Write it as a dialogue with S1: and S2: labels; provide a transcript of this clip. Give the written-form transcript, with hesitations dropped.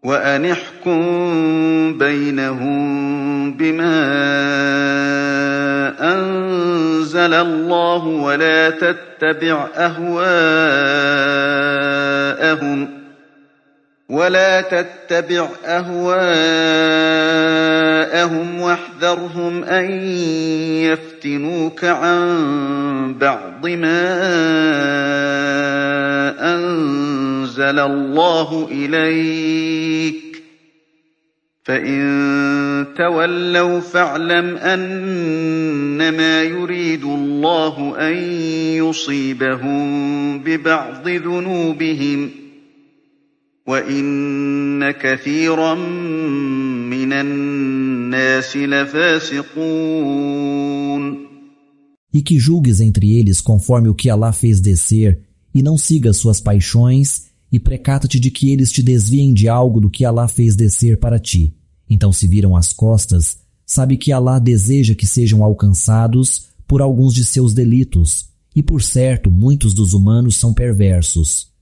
S1: وأن احكم بينهم بما أنزل الله ولا تتبع أهواءهم واحذرهم أن يفتنوك عن بعض ما أنزل الله إليك فإن تولوا فاعلم أنما يريد الله أن يصيبهم ببعض ذنوبهم وإن كثيرا من الناس لفاسقون.
S2: E que julgues entre eles conforme o que Alá fez descer, e não sigas suas paixões, e precata-te de que eles te desviem de algo do que Alá fez descer para ti. Então se viram as costas, sabe que Alá deseja que sejam alcançados por alguns de seus delitos, e por certo muitos dos humanos são perversos.